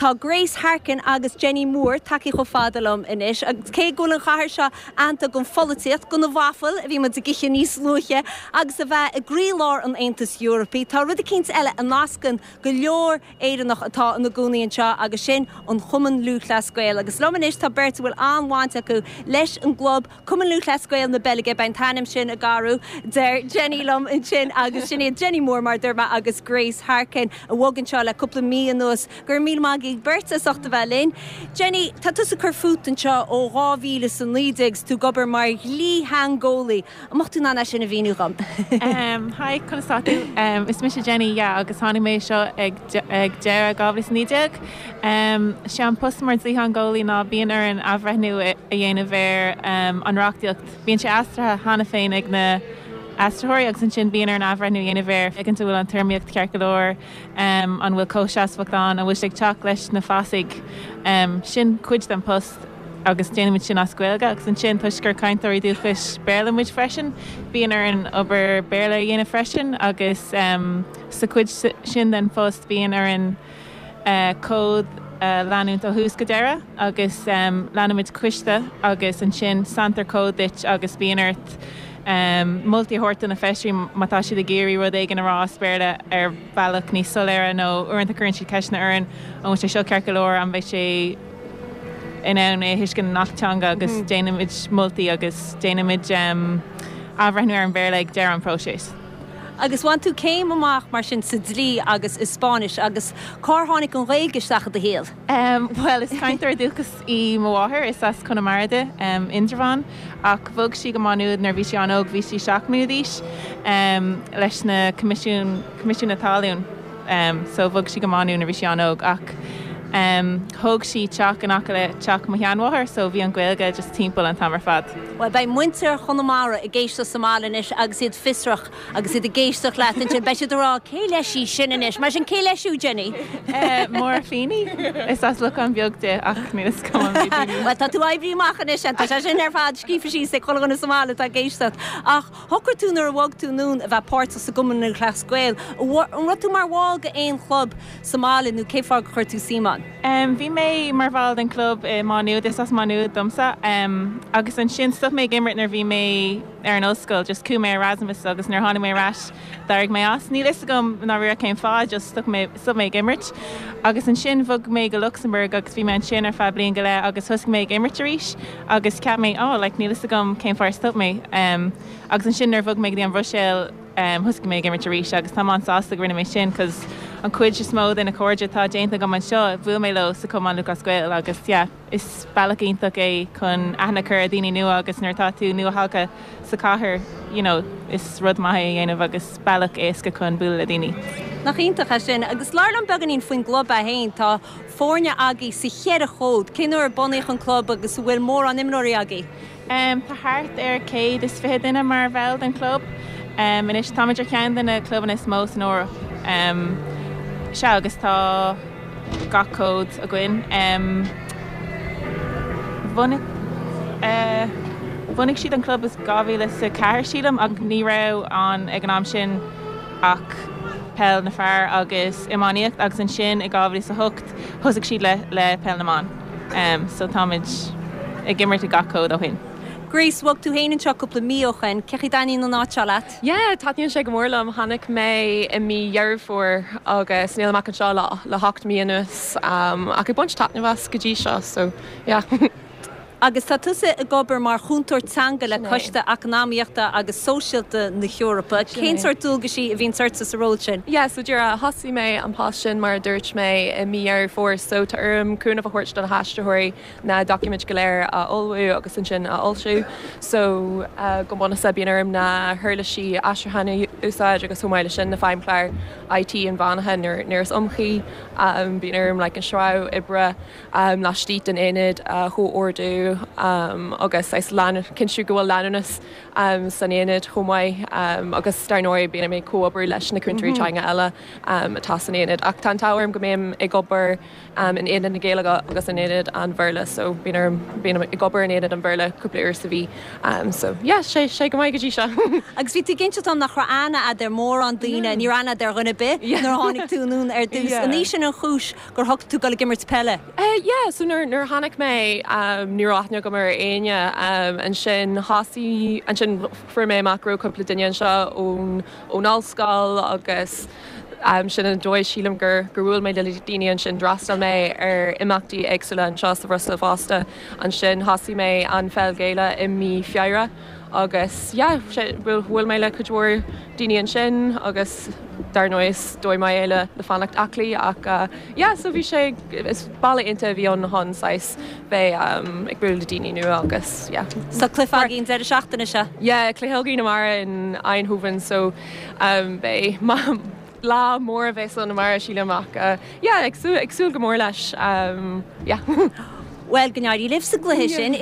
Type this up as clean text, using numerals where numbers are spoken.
Tá Grace Harkin agus Jenny Moore tagtha chomh fada liom anois agus cé go bhfuil an chathair seo aitheanta don pholaitíocht, do na vafail a bhí muid ag ithe níos luaithe agus a bheith i gcroílár an Aontais Eorpaigh, tá rud eicínt eile a nascann go leor Éireannach atá ina gcónaí anseo agus sin an Chumann Lúthchleas Gael. Agus liom anois tá beirt a bhfuil an-bhaint acu leis an gclub, Cumann Lúthchleas Gael na Beilge, beidh an t-ainm sin ag athrú, deir Jenny liom ansin agus sin iad Jenny Moore mar a dúirt mé agus Grace Harkin a bhog anseo le cúpla mí anuas. Go raibh míle maith agaibh beirt as ucht a bheith linn. Jenny, tá tusa ag cur fút anseo ó 2019 is tú ag obair mar dhlítheangeolaí. An mbeadh tú in ann é sin a mhíniú dhom? Hi, conas tá tú? Is mise Jenny, yeah, agus tháinig mé anseo ag ag deireadh 2019. Sé an post mar dlítheangeolaí ná bíonn orainn athbhreithniú a dhéanamh ar an reachtaíocht. Bíonn sé aistrithe cheana féin ag na aistritheoirí agus ansin bíonn orainn athbhreithniú a dhéanamh air, féachaint an bhfuil an téarmaíocht ceart go leor, an bhfuil comhsheasmhacht ann, an bhfuil sé ag teacht leis na fasaigh. Sin cuid den post agus déanaimid sin as Gaeilge agus ansin toisc gur cainteoirí dúchais Béarla muid freisin, bíonn orainn obair Béarla a dhéanamh freisin agus sa chuid sin den phost bíonn orainn comhad a leanúint ó thús go deireadh agus leanaimid coiste agus ansin sanntar comhad duit agus bíonn ort moltaí a thabhairt do na feisirí má tá siad ag iarraidh rud éigin a rá as Béarla ar bhealach níos soiléire nó uaireanta cuireann siad ceisteanna orainn an bhfuil sé seo ceart go leor, an mbeidh sé in ann é a thuiscint i ngach teanga agus déanaimid moltaí agus déanaimid athbhreithniú ar an Bhéarla ag deireadh an phróiseas. Agus bhain tú céim amach mar sin sa dlí agus i Spáinnis agus cár tháinig an Ghaeilge isteach i do shaol? Bhuel, is cainteoir dúchais í mo mháthair, is as Conamara di, Indreabhán, ach bhog sí go Má Nuad nuair a bhí sí an-óg, bhí sí 7 mbliana d'aois, leis na Coimisiún, Coimisiún na Talún. So bhog sí go Má Nuad nuair a bhí sí an-óg ach thóg sí teach in aice le teach mo sheanmháthar so bhí an Ghaeilge just timpeall an t-am ar fad. Bhuel, beidh muintir Chonamara ag éisteacht sa mbaile anois agus iad fiosrach agus iad ag éisteacht leat ansin. Beidh siad ag rá, 'Cé leis í sin anois? Mar sin, cé leis thú, Jenny? Máire Feeney. Is as Lochán Beag di ach níl fhios agam an mbeidh daoine. Bhuel, tá tú oibrithe amach anois, tá sé sin ar fad scríofa síos ag chuile dhuine sa mbaile atá ag éisteacht. Ach Shocraigh tú nuair a bhog tú anonn a bheith páirteach sa gCumann Lúthchleas Gael. An raibh tú mar bhall de aon chlub sa mbaile nó cén fáth gur chuir tú suim ann? Bhí mé mar bhall den chlub i Má Nuad, is as Má Nuad domsa, agus ansin stop mé ag imirt nuair a bhí mé ar an ollscoil, just chuaigh mé Erasmus agus nuair a tháinig mé ar ais d'éirigh mé as. Níl fhios agam i ndáiríre cén fáth, just stop mé, stop mé ag imirt. Agus ansin bhog mé go Lucsamburg agus bhí mé ansin ar feadh bliain go leith agus thosaigh mé ag imirt arís. Agus cheap mé, oh, like, níl fhios agam cén fáth ar stop mé. Agus ansin nuair a bhog mé go dtí an Bhruiséil, thosaigh mé ag imirt arís agus táim an-sásta go rinne mé sin cos an chuid is mó de na cairde atá déanta agam anseo, bhuail mé leo sa Chumann Lúthchleas Gael agus yeah, is bealach iontach é chun aithne a chur ar dhaoine nua agus nuair atá tú nua-thagtha sa chathair, you know, is rud maith é a dhéanamh agus bealach éasca chun bualadh le daoine. Nach iontach é sin. Agus labhair liom beagáinín faoin gclub é féin. Tá foirne agaibh sa cheithre chód. Cén uair a bunaíodh an club agus an bhfuil mórán imreoirí agaibh? Tá thart ar 120 duine mar bhall den chlub anois. Táimid ar cheann de na clubanna is mó san Eoraip. Sea, agus tá gach cód againn. Bhunaigh bhunaigh siad an club i 2004, sílim, ach ní raibh ann ag an am sin ach peil na fear agus iománaíocht agus ansin i 2008 thosaigh siad le le peil na mban so táimid ag imirt i gach cód ó shin. Grace, bhog tú féin anseo cúpla mí ó shoin, cén chaoi a dtaitníonn an áit seo leat? Yeah, taitníonn sé go mór liom. Tháinig mé i mí Dheireadh Fómhair agus nílim ach anseo le le hocht mí anuas ach ag baint taitneamh as go dtí seo so yeah. Agus tá tusa ag obair mar chúntóir teanga le Coiste Eacnamaíochta agus Sóisialta na hEorpa. Cén sórt dualgaisí a bhíonns ortsa sa ról sin? Yeah, so díreach thosaigh mé an post sin mar a dúirt mé i mí Dheireadh Fómhair so tá orm cúnamh a thabhairt do na haistritheoirí na doiciméid go léir a ullmhú agus ansin a fhoilsiú. So go bunúsach bíonn orm na huirlisí aistriúcháin a úsáid agus chomh maith leis sin na feidhmchláir IT inmheánacha nuair is iomchuí. Bíonn orm like an sreabhadh oibre laistigh den aonad a chomhordú. aistriú agus saghas cinntiú go bhfuil leanúnas san aonad chomh maith agus dar ndóigh bíonn mé ag comhoibriú leis na cúntóirí teanga eile atá san aonad. Ach tá an t-ádh orm go mbím ag obair in aonad na Gaeilge agus in aonad an Bhéarla so bíonn orm, bím ag obair in aonad an Bhéarla cúpla uair sa mhí. So yeah, sé, sé go maith go dtí seo. Agus bhí tú ag inseacht dom nach raibh aithne a'd ar mórán daoine, ní raibh aithne a'd ar dhuine ar bith nuair a tháinig tú anonn ar dtús. An í sin an chúis gur shocraigh tú dul ag imirt peile? Yeah, so nuair, nuair a tháinig mé ní raibh aithne agam ar éinne. Ansin thosaigh, ansin fuair mé amach go raibh cúpla duine anseo ón, ón ollscoil agus sin an dóigh sílim gur, gur bhuail mé le daoine ansin. D'fhreastail mé ar imeachtaí éagsúla anseo sa Bhruiséil fosta. Ansin thosaigh mé an Pheil Ghaelach i mí Feabhra. Agus yeah, bhuail mé le cuid mhór daoine ansin agus dar ndóigh is dóigh maith é le le fanacht aclaí ach yeah so bhí sé, is bealach iontach a bhí ann chun saghas bheith ag bualadh le daoine nua agus yeah. So cluiche agaibh an deireadh seachtaine seo? Yeah, cluiche againn amárach in Eindhoven so beidh lá mór a bheas ann amárach sílim ach yeah ag súil ag súil go mór leis yeah. Bhuel go n-éirí libh sa gcluiche sin.